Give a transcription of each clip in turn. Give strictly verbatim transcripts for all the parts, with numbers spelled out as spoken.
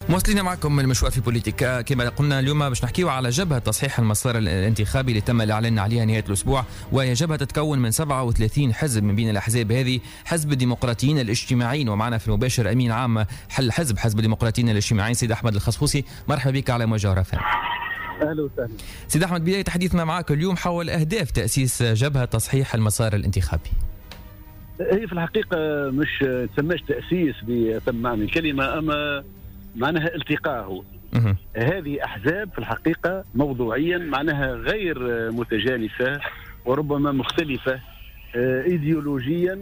مواصلين معكم المشوار في بوليتيكا. كما قلنا اليوم باش نحكيو على جبهة تصحيح المسار الانتخابي اللي تم الإعلان عليها نهاية الأسبوع، وهي جبهة تتكون من سبعة وثلاثين حزب، من بين الأحزاب هذه حزب الديمقراطيين الاجتماعيين، ومعنا في المباشر أمين عام حل حزب حزب الديمقراطيين الاجتماعيين سيد أحمد الخصخوصي. مرحبا بك على موجة رفان. أهلا وسهلا سيد أحمد. بداية حديثنا معك اليوم حول أهداف تأسيس جبهة تصحيح المسار الانتخابي. هي في الحقيقة مش تسماش تأسيس بأتم معنى الكلمة، أما معناها التقاء. هو هذه أحزاب في الحقيقة موضوعيا معناها غير متجانسة وربما مختلفة إيديولوجيا،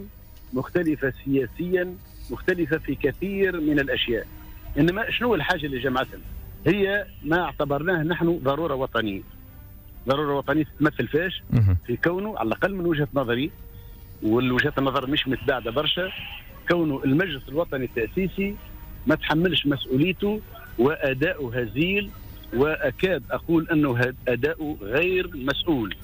مختلفة سياسيا، مختلفة في كثير من الأشياء. إنما شنو الحاجة اللي جمعتهم؟ هي ما اعتبرناه نحن ضرورة وطنية. ضرورة وطنية تتمثل فاش؟ في كونه على الأقل من وجهة نظري، والوجهة النظر مش متباعدة برشا، كونه المجلس الوطني التأسيسي ما تحملش مسؤوليته وأداؤه هزيل، وأكاد أقول أنه أداؤه غير مسؤول،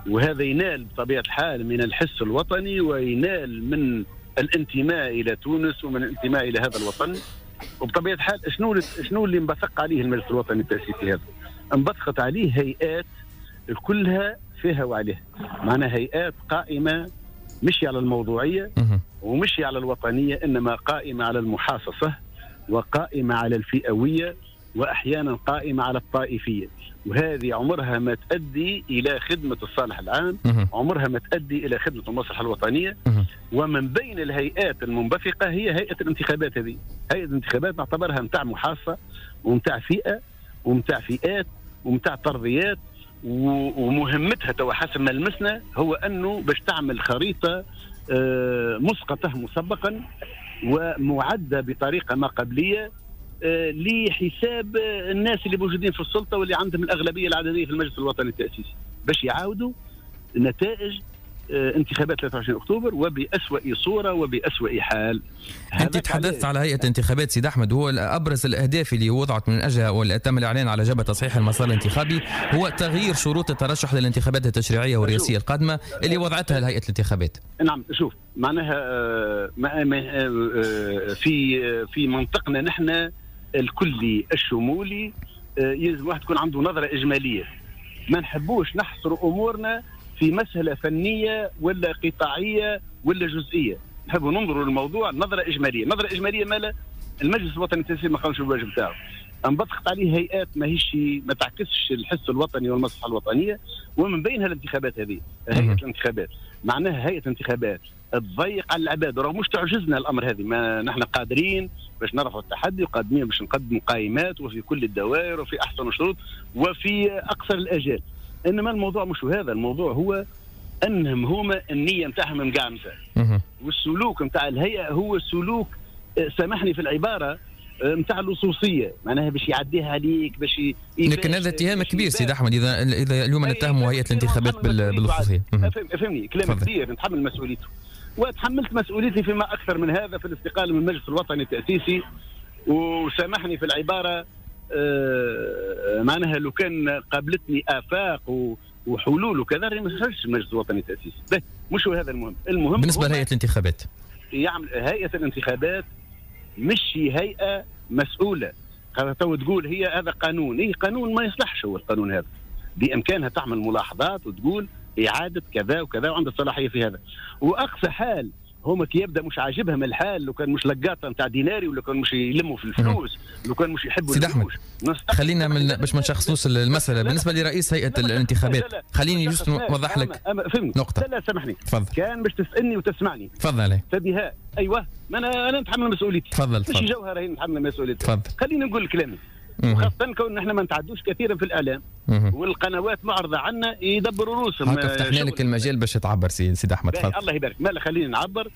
وهذا ينال بطبيعة الحال من الحس الوطني وينال من الانتماء إلى تونس ومن الانتماء إلى هذا الوطن. وبطبيعة الحال شنو شنو اللي انبثق عليه المجلس الوطني التأسيسي هذا؟ انبثقت عليه هيئات كلها فيها وعليها، معناها هيئات قائمة مش على الموضوعية ومش على الوطنية، إنما قائمة على المحاصصة وقائمة على الفئوية وأحيانا قائمة على الطائفية، وهذه عمرها ما تؤدي إلى خدمة الصالح العام، عمرها ما تؤدي إلى خدمة المصلحة الوطنية. ومن بين الهيئات المنبثقة هي هيئة الانتخابات. هذه هيئة الانتخابات نعتبرها متاع محاصة ومتاع فئة ومتاع فئات ومتاع ترضيات، ومهمتها توا حسب ما لمسنا هو أنه باش تعمل خريطة مسقطة مسبقا ومعدة بطريقة ما قبلية لحساب الناس اللي موجودين في السلطة واللي عندهم الأغلبية العددية في المجلس الوطني التأسيسي، باش يعاودوا نتائج انتخابات ثلاثة وعشرين أكتوبر وبأسوأ صورة وبأسوأ حال. أنت تحدثت على هيئة انتخابات سيد أحمد، هو أبرز الأهداف اللي وضعت من أجلها واللي تم الإعلان على جبهة تصحيح المسار الانتخابي هو تغيير شروط الترشح للانتخابات التشريعية والرئاسية القادمة اللي وضعتها هيئة الانتخابات. نعم، شوف معناها في في منطقنا نحن الكلي الشمولي يلزم واحد تكون عنده نظرة إجمالية، ما نحبوش نحصر أمورنا في مسألة فنية ولا قطاعية ولا جزئية، نحب ننظر للموضوع نظرة إجمالية. نظرة إجمالية مالا المجلس الوطني التأسيسي ما قامش بالواجب بتاعه، انبثقت عليه هيئات ما هيش ما تعكسش الحس الوطني والمصلحة الوطنية، ومن بينها الانتخابات هذه. هيئة الانتخابات معناها هيئة انتخابات تضيق على العباد، راه مش تعجزنا الأمر هذه، ما نحن قادرين باش نرفعوا التحدي وقادرين باش نقدموا قائمات وفي كل الدوائر وفي أحسن الشروط وفي أقصر الأجال. انما الموضوع مش هذا، الموضوع هو انهم هما النية نتاعهم مقعمزه، والسلوك نتاع الهيئة هو سلوك، سامحني في العبارة، نتاع اللصوصيه، معناها باش يعديها عليك باش ي... لكن هذا اتهام كبير سيد احمد، اذا اذا اليوم نتهموا هيئة الانتخابات باللصوصيه. افهمني، كلام كبير، نتحمل مسؤوليته، وتحملت مسؤوليتي فيما اكثر من هذا في الاستقالة من المجلس الوطني التاسيسي. وسامحني في العبارة، آه معناها لو كان قابلتني آفاق وحلول وكذا ما خرجش المجلس الوطني التأسيسي. مش هو هذا المهم. المهم بالنسبة لهيئة الانتخابات، يعمل هيئة الانتخابات مش هيئة مسؤولة. هذا تو تقول هي هذا قانون، إيه قانون ما يصلحش هو القانون هذا، بإمكانها تعمل ملاحظات وتقول إعادة كذا وكذا وعندها الصلاحية في هذا. وأقصى حال هما كي يبدا مش عاجبهم الحال، لو كان مش لقاطه نتاع ديناري ولا كان مش يلموا في الفلوس، لو كان مش يحبوا سيد احمد خلينا من باش ما نشخصوش المسالة. بالنسبة لرئيس هيئة الانتخابات خليني juste نوضح لك نقطة. لا لا سامحني، تفضل. كان باش تسالني وتسمعني. تفضل. تبيها ايوه، ما انا انا نتحمل مسؤوليتي. تفضل. مش جوهره هي نتحمل مسؤوليتي. تفضل. خليني نقول كلامي، وخاصة كون نحن ما نتعدوش كثيرا في الإعلام والقنوات معرضة عنا يدبروا روسهم. هكا فتحنا لك المجال باش تعبر سيد سيد أحمد. تفضل. الله يبارك. ما خلينا نعبر.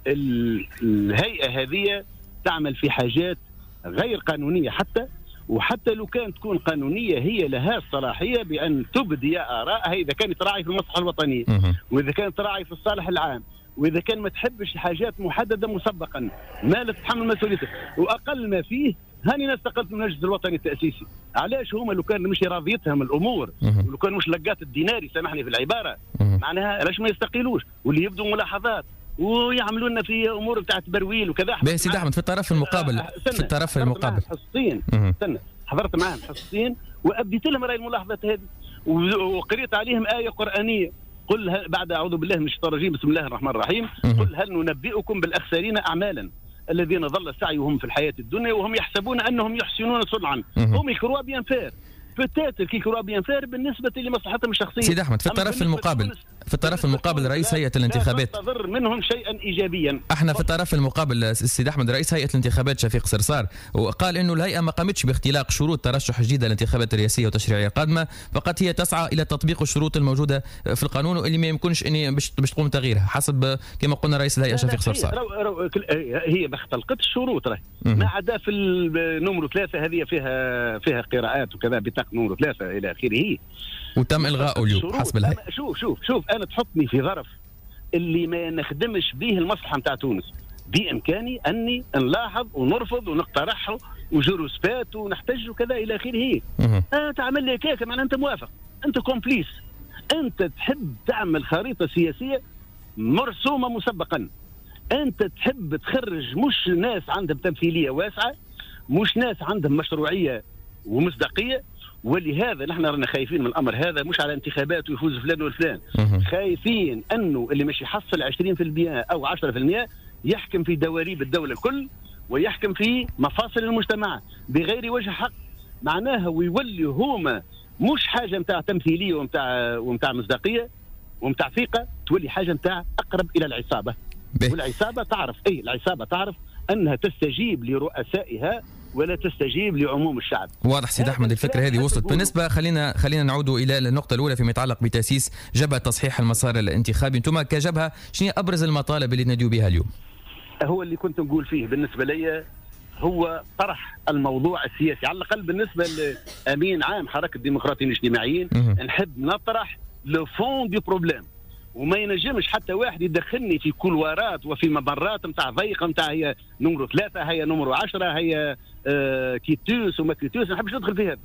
الهيئة هذه تعمل في حاجات غير قانونية حتى، وحتى لو كانت تكون قانونية هي لها الصلاحية بأن تبدي آرائها إذا كانت تراعي في المصلحة الوطنية وإذا كانت تراعي في الصالح العام وإذا كان ما تحبش حاجات محددة مسبقا ما لا تتحمل مسؤوليتك. وأقل ما فيه هاني ناس استقلت من المجلس الوطني التأسيسي. علاش هما لو كان مش راضيتهم الامور ولو كان مش لقات الديناري، سامحني في العبارة، معناها علاش ما يستقيلوش واللي يبدو ملاحظات ويعملوا لنا في امور بتاعت برويل وكذا. باهي سيدي احمد، في الطرف المقابل في الطرف المقابل حصتين، استنى، حضرت معاهم حصتين وابديت لهم راي الملاحظات هذه، وقريت عليهم ايه قرانية، قل بعد اعوذ بالله من الشيطان الرجيم بسم الله الرحمن الرحيم، قل هل ننبئكم بالاخسرين اعمالا الذين ضل سعيهم في الحياة الدنيا وهم يحسبون انهم يحسنون صنعا. هم ils croient bien faire، peut-être qu'ils croient bien faire بالنسبة لمصلحتهم الشخصية. سيد احمد، في الطرف المقابل في الطرف المقابل رئيس هيئة الانتخابات تنتظر منهم شيئا ايجابيا. احنا في الطرف المقابل السيد احمد، رئيس هيئة الانتخابات شفيق صرصار وقال انه الهيئة ما قامتش باختلاق شروط ترشح جديدة للانتخابات الرئاسية والتشريعيه القادمة، فقط هي تسعى الى تطبيق الشروط الموجودة في القانون واللي ما يمكنش ان باش باش تقوم تغييرها حسب كما قلنا رئيس الهيئة شفيق صرصار. رو رو هي ما اختلقتش شروط راهي، ما عدا في ال numéro ثلاثة هذه فيها فيها قراءات وكذا، بطاقة numéro ثلاثة الى اخره، وتم الغائه اليوم حسب الهيئة. شوف شوف شوف انا تحطني في ظرف اللي ما نخدمش به المصلحة نتاع تونس، بامكاني اني نلاحظ ونرفض ونقترحه و je rouspète ونحتج وكذا الى اخره. آه تعمل لي كيكة معناها انت موافق، انت complice، انت تحب تعمل خريطة سياسية مرسومه مسبقا، انت تحب تخرج مش ناس عندهم تمثيلية واسعة، مش ناس عندهم مشروعية ومصداقيه. ولهذا نحن رانا خايفين من الامر هذا، مش على انتخابات ويفوز فلان والفلان، خايفين انه اللي مش يحصل عشرين بالمئة او عشرة بالمئة يحكم في دواليب الدولة الكل ويحكم في مفاصل المجتمع بغير وجه حق، معناها ويولي هما مش حاجة نتاع تمثيلية ومتاع ومتاع مصداقية ومتاع ثقة، تولي حاجة نتاع اقرب الى العصابة. به. والعصابه تعرف اي العصابة تعرف انها تستجيب لرؤسائها ولا تستجيب لعموم الشعب. واضح سيد احمد، الفكرة هذه وصلت. بالنسبة خلينا خلينا نعود الى النقطة الاولى فيما يتعلق بتاسيس جبهة تصحيح المسار الانتخابي. انتم كجبهه شنو ابرز المطالب اللي تناديوا بها اليوم؟ هو اللي كنت نقول فيه بالنسبة لي هو طرح الموضوع السياسي، على الاقل بالنسبة لامين عام حركة الديمقراطيين الاجتماعيين نحب نطرح le fond du problème، وما ينجمش حتى واحد يدخلني في couloir ات وفي ممرات نتاع ضيقه نتاع هي numéro ثلاثة هي numéro عشرة هي آه quitus وما quitus، ما نحبش ندخل في هذا.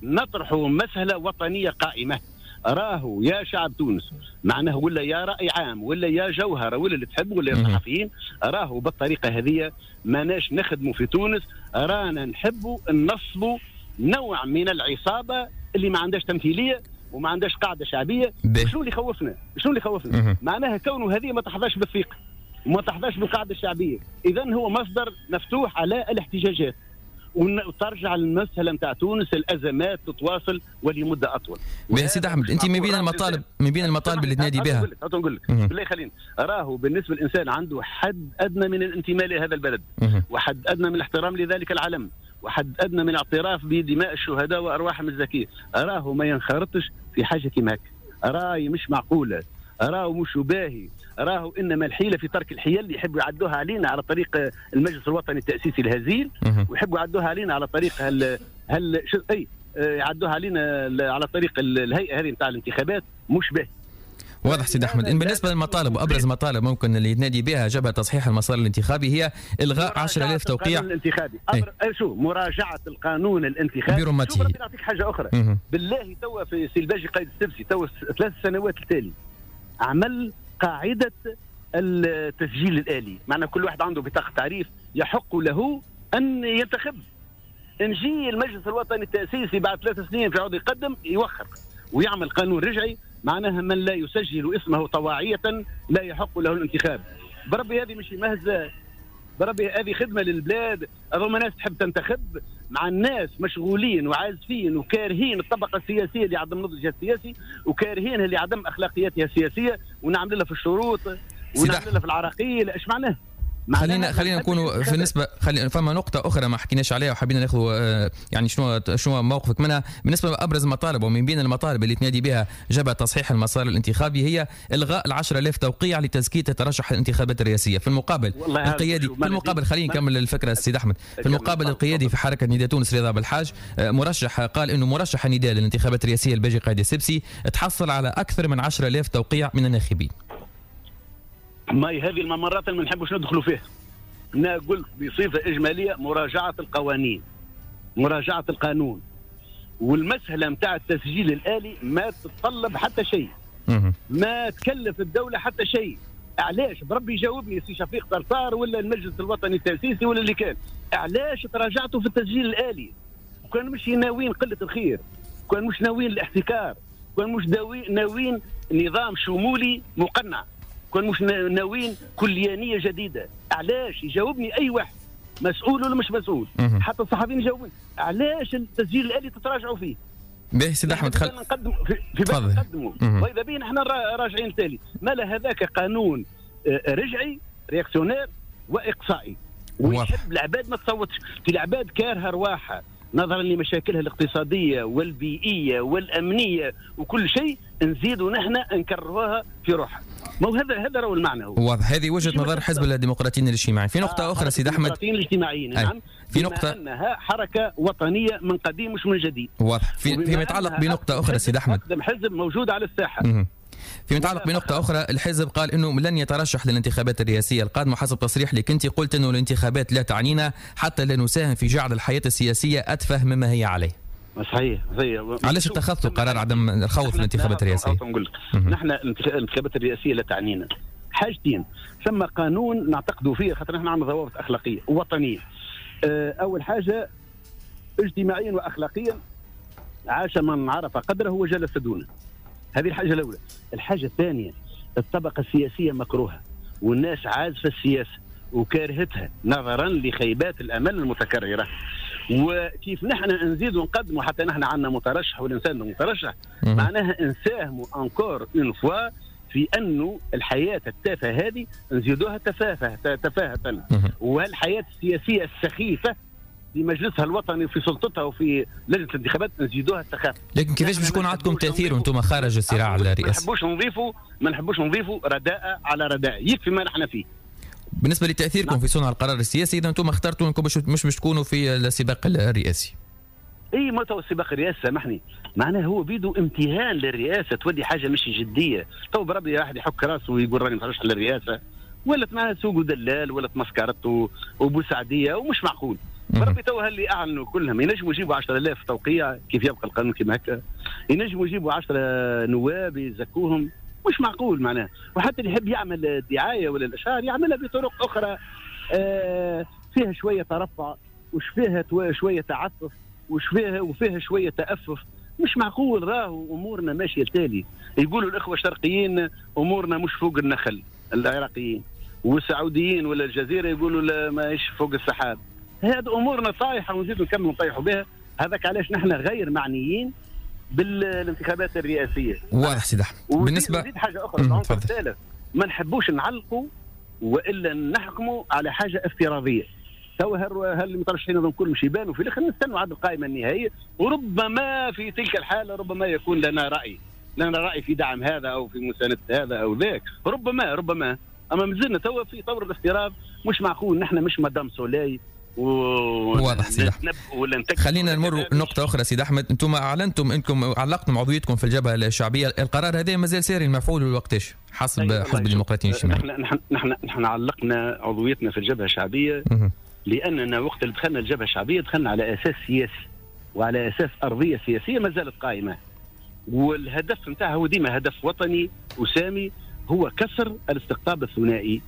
نطرحوا مسألة وطنية قائمة، راهو يا شعب تونس معناه ولا يا رأي عام ولا يا جوهرة ولا اللي تحب ولا يا صحفيين، راهو بالطريقة هذه ماناش نخدموا في تونس، رانا نحبوا ننصبوا نوع من العصابة اللي ما عندهاش تمثيلية وما عندهاش قاعدة شعبية. شنو اللي خوفنا؟ شنو اللي خوفنا؟ معناها كونه هذه ما تحظاش بالثقة وما تحظاش بالقاعدة الشعبية، اذا هو مصدر مفتوح على الاحتجاجات، وترجع المسألة نتاع تونس الأزمات تتواصل ولمدة أطول. باهي سيد أحمد، أنت من بين المطالب من بين المطالب اللي تنادي بها، نقول لك بالله خلينا، راهو بالنسبة للإنسان عنده حد أدنى من الانتماء لهذا البلد، وحد أدنى من الاحترام لذلك العلم، وحد أدنى من الاعتراف بدماء الشهداء وأرواحهم الزكية، راهو ما ينخرطش في حاجة كيما هكا، راي مش معقولة، راهو مش باهي، راهو انما الحيلة في ترك الحيل اللي يحبوا يعدوها علينا على طريق المجلس الوطني التاسيسي الهزيل، ويحبوا يعدوها علينا على طريق هل هل شو اي يعدوها علينا على طريق الهيئة هذه نتاع الانتخابات، مش باهي. واضح سيد احمد. إن بالنسبة للمطالب وابرز مطالب ممكن اللي يتنادي بها جبهة تصحيح المسار الانتخابي هي الغاء عشرة آلاف توقيع الانتخابي. أبر... أي. شو مراجعه القانون الانتخابي. شوف ربي نعطيك حاجة اخرى. مه. بالله توا في سي الباجي قايد السبسي توا ثلاث سنوات التالي عمل قاعدة التسجيل الالي، معنى كل واحد عنده بطاقة تعريف يحق له ان ينتخب. نجي المجلس الوطني التاسيسي بعد ثلاث سنين في عود يقدم يوخر ويعمل قانون رجعي، معناها من لا يسجل اسمه طواعية لا يحق له الانتخاب. بربي هذه مش مهزة، بربي هذه خدمة للبلاد. هذوما ناس تحب تنتخب، مع الناس مشغولين وعازفين وكارهين الطبقة السياسية اللي عدم نضجها السياسي وكارهين اللي عدم أخلاقياتها السياسية، ونعمل لها في الشروط ونعمل لها في العراقيل. ايش معناه؟ خلينا خلينا نكونوا في نسبه، خلينا فما نقطة اخرى ما حكيناش عليها وحبينا ناخذ يعني شنو شنو موقفك منها. بالنسبة لابرز المطالب ومن بين المطالب اللي تنادي بها جبهة تصحيح المسار الانتخابي هي الغاء ال عشرة آلاف توقيع لتزكيه الترشح الانتخابات الرئاسية. في المقابل القيادي في المقابل خلينا نكمل الفكرة السيد احمد. في المقابل القيادي في حركة نداء تونس رضا بالحاج مرشح قال انه مرشح النداء للانتخابات الرئاسية الباجي قايد السبسي تحصل على اكثر من عشرة آلاف توقيع من الناخبين. ما هذه الممرات اللي ما نحبوش ندخلوا فيها. انا قلت بصفة اجمالية مراجعه القوانين، مراجعه القانون، والمسالة نتاع التسجيل الالي ما تتطلب حتى شيء، ما تكلف الدولة حتى شيء. علاش بربي يجاوبني سي شفيق صرصار ولا المجلس الوطني التاسيسي ولا اللي كان، علاش تراجعتوا في التسجيل الالي؟ وكان مش ناويين قلة الخير، كان مش ناويين الاحتكار، كان مش ناويين نظام شمولي مقنع، كان مش ناويين كليانيه جديدة. علاش؟ يجاوبني اي واحد مسؤول ولا مش مسؤول، حتى الصحفيين يجاوبوني، علاش التسجيل الالي تتراجعوا فيه؟ باهي سيد احمد، خل نقدم في, في بالنا نقدموا، واذا بينا احنا راجعين التالي. ما هذاك قانون رجعي réactionnaire واقصائي، ويحب العباد ما تصوتش. في العباد كارهه رواحها نظرا لمشاكلها الاقتصادية والبيئيه والامنية وكل شيء، نزيدوا نحن نكرهوها في روحها. ما هو هذا هذا هو المعنى. هو واضح، هذه وجهه نظر حزب الديمقراطيين الاجتماعيين. في نقطة آه اخرى سيد احمد، الديمقراطيين الاجتماعيين، نعم، في نقطة انها حركة وطنية من قديم مش من جديد. واضح. في فيما يتعلق بنقطة اخرى سيد احمد، اقدم حزب موجود على الساحة. مم. فيما يتعلق بنقطة أخرى، الحزب قال أنه لن يترشح للانتخابات الرئاسية القادمة، حسب تصريح لك أنت قلت أنه الانتخابات لا تعنينا حتى لا نساهم في جعل الحياة السياسية أتفه مما هي عليه. صحيح صحيح. علاش اتخذتوا قرار عدم الخوض في الانتخابات الرئاسية؟ نقول لك نحن الانتخابات الرئاسية لا تعنينا حاجتين. ثم قانون نعتقد فيه، خاطر نحن عندنا ضوابط أخلاقية وطنية. أول حاجة اجتماعيا وأخلاقيا، عاش من عرف قدره وجلس دونه. هذه الحاجة الأولى. الحاجة الثانية، الطبقة السياسية مكروهة والناس عازفة السياسة وكارهتها نظرا لخيبات الأمل المتكررة. وكيف نحن نزيد ونقدموا حتى نحن عندنا مترشح والإنسان مترشح، معناها نساهموا encore une fois في أنه الحياة التافهة هذه نزيدوها تفاهة تفاهة، وهالحياة السياسية السخيفة في مجلسها الوطني وفي سلطتها وفي لجنة الانتخابات نزيدوها السخافه. لكن كيفاش باش يكون عندكم تاثير وانتم خارج الصراع الرئاسي؟ ما نحبوش نضيفوا ما نحبوش نضيفوا رداء على رداء، يكفي ما نحن فيه. بالنسبة لتاثيركم في صنع القرار السياسي، اذا انتم اخترتوا انكم مش باش تكونوا في السباق الرئاسي. اي ما تو السباق الرئاسي سامحني، معناه هو بيدو امتهان للرئاسة، تولي حاجة مش جدية. تو بربي واحد يحك راسه ويقول راني مترشح للرئاسة، ولات معناها سوق دلال، ولات مسكرته وبوسعديه، ومش معقول. بربي تو اللي اعلنوا كلهم ينجموا يجيبوا عشرة آلاف توقيع كيف يبقى القانون كيما هكا، ينجموا يجيبوا عشرة نواب يزكوهم، مش معقول معناه. وحتى اللي يحب يعمل دعاية ولا الاشهار يعملها بطرق اخرى آه فيها شوية ترفع، وش فيها شوية تعفف، وش فيها وفيها شوية تأفف. مش معقول، راهو امورنا ماشية التالي. يقولوا الاخوة الشرقيين امورنا مش فوق النخل، العراقيين والسعوديين ولا الجزيرة يقولوا لا ماهيش فوق السحاب. هذه امورنا طايحة ونزيدوا نكملوا نطيحوا بها. هذاك علاش نحن غير معنيين بالانتخابات الرئاسية. واضح سيد احمد. بالنسبة زيد حاجة اخرى، العنصر الثالث، ما نحبوش نعلقوا والا نحكموا على حاجة افتراضية. تو هل المترشحين هذول كلهم مش يبانوا في الاخر، نستنوا عاد القائمة النهائية، وربما في تلك الحالة ربما يكون لنا راي، لنا راي في دعم هذا او في مساندة هذا او ذاك، ربما ربما. اما مازلنا تو في طور الافتراض، مش معقول نحن مش مدام سولاي. واضح سيد احمد. خلينا نمر نقطة أخرى سيد أحمد، أنتم أعلنتم أنكم علقتم عضويتكم في الجبهة الشعبية، القرار هذا مازال ساري المفعول لوقتاش حسب حزب الديمقراطيين الاجتماعيين؟ نحن نحن نحن علقنا عضويتنا في الجبهة الشعبية لأننا وقت اللي دخلنا الجبهة الشعبية دخلنا على أساس سياسي وعلى أساس أرضية سياسية ما زالت قائمة، والهدف نتاعها هو ديما هدف وطني وسامي، هو كسر الاستقطاب الثنائي.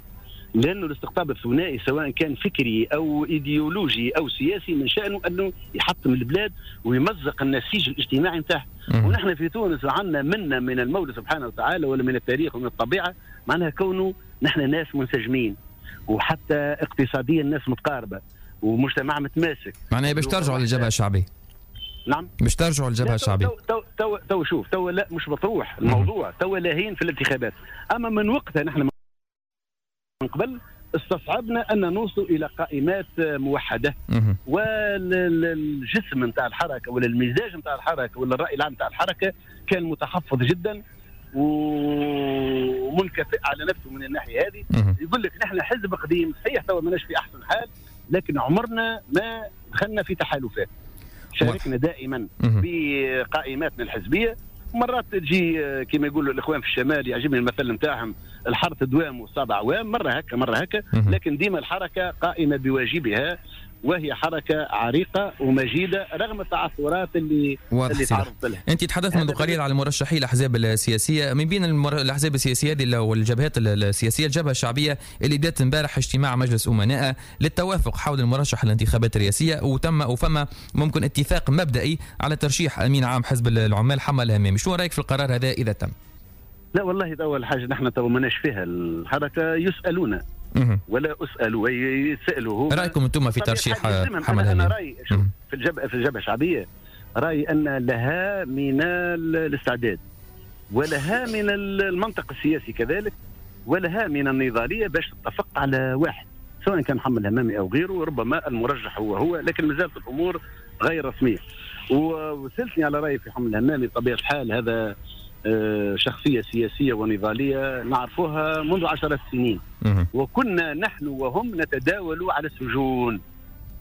لأنه الاستقطاب الثنائي سواء كان فكري أو إيديولوجي أو سياسي من شأنه أنه يحطم البلاد ويمزق النسيج الاجتماعي نتاعه. ونحن في تونس عندنا منا من المولى سبحانه وتعالى ولا من التاريخ ومن الطبيعة، معناها كونه نحن ناس منسجمين، وحتى اقتصاديا ناس متقاربة ومجتمع متماسك. معناها باش ترجعوا للجبهة الشعبية؟ نعم، باش ترجعوا للجبهة الشعبية. تو تو تو, تو شوف تو لا مش مطروح الموضوع، تو لاهين في الانتخابات. أما من وقتها نحن من قبل استصعبنا ان نوصل الى قائمات موحدة، والجسم نتاع الحركة ولا المزاج نتاع الحركة ولا الراي العام نتاع الحركة كان متحفظ جدا ومنكفئ على نفسه من الناحية هذه. يقول لك نحن حزب قديم صحيح تو ماناش في احسن حال، لكن عمرنا ما دخلنا في تحالفات، شاركنا دائما بقائماتنا الحزبية. مرات تجي كما يقولوا الاخوان في الشمال، يعجبني المثل نتاعهم، الحرث دوام والصابع عوام، مرة هكا مرة هكا، لكن ديما الحركة قائمة بواجبها وهي حركة عريقة ومجيده رغم التعثرات اللي اللي تعرضت لها. انت تحدثت منذ قليل على مرشحي الاحزاب السياسية، من بين المر... الاحزاب السياسية هذه والجبهات السياسية الجبهة الشعبية اللي بدات امبارح اجتماع مجلس امناء للتوافق حول المرشح للانتخابات الرئاسية، وتم وفما ممكن اتفاق مبدئي على ترشيح امين عام حزب العمال حمى الهمامي. شو رايك في القرار هذا اذا تم؟ لا والله اول حاجة نحن تو ماناش فيها الحركة، يسالون ولا اسال، يسالوا. رايكم انتم في ترشيح حمى الهمامي؟ انا رايي في الجبهة في الجبهة الشعبية رايي ان لها من الاستعداد ولها من المنطق السياسي كذلك ولها من النضاليه باش تتفق على واحد، سواء كان حمى الهمامي او غيره، ربما المرجح هو هو، لكن ما زالت الامور غير رسمية. وسالتني على رايي في حمى الهمامي، بطبيعة الحال هذا شخصية سياسية ونضالية نعرفوها منذ عشرة سنين، وكنا نحن وهم نتداول على السجون،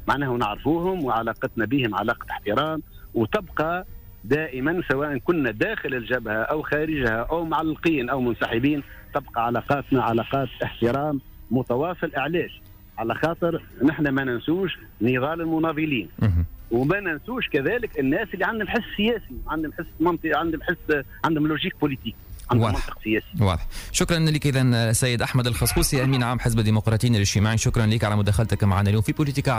معناه نعرفوهم وعلاقتنا بهم علاقة احترام، وتبقى دائما سواء كنا داخل الجبهة أو خارجها أو معلقين أو منسحبين، تبقى علاقاتنا علاقات احترام متواصل. علاش؟ على خاطر نحن ما ننسوش نضال المناضلين، وما ننسوش كذلك الناس اللي عندهم حس سياسي، عندهم حس منطقي، عندهم حس، عندهم logique politique، عندهم منطق سياسي. واضح. شكرا لك اذا سيد احمد الخصخوصي، امين عام حزب الديمقراطيين الاجتماعي، شكرا لك على مداخلتك معنا اليوم في بوليتيكا.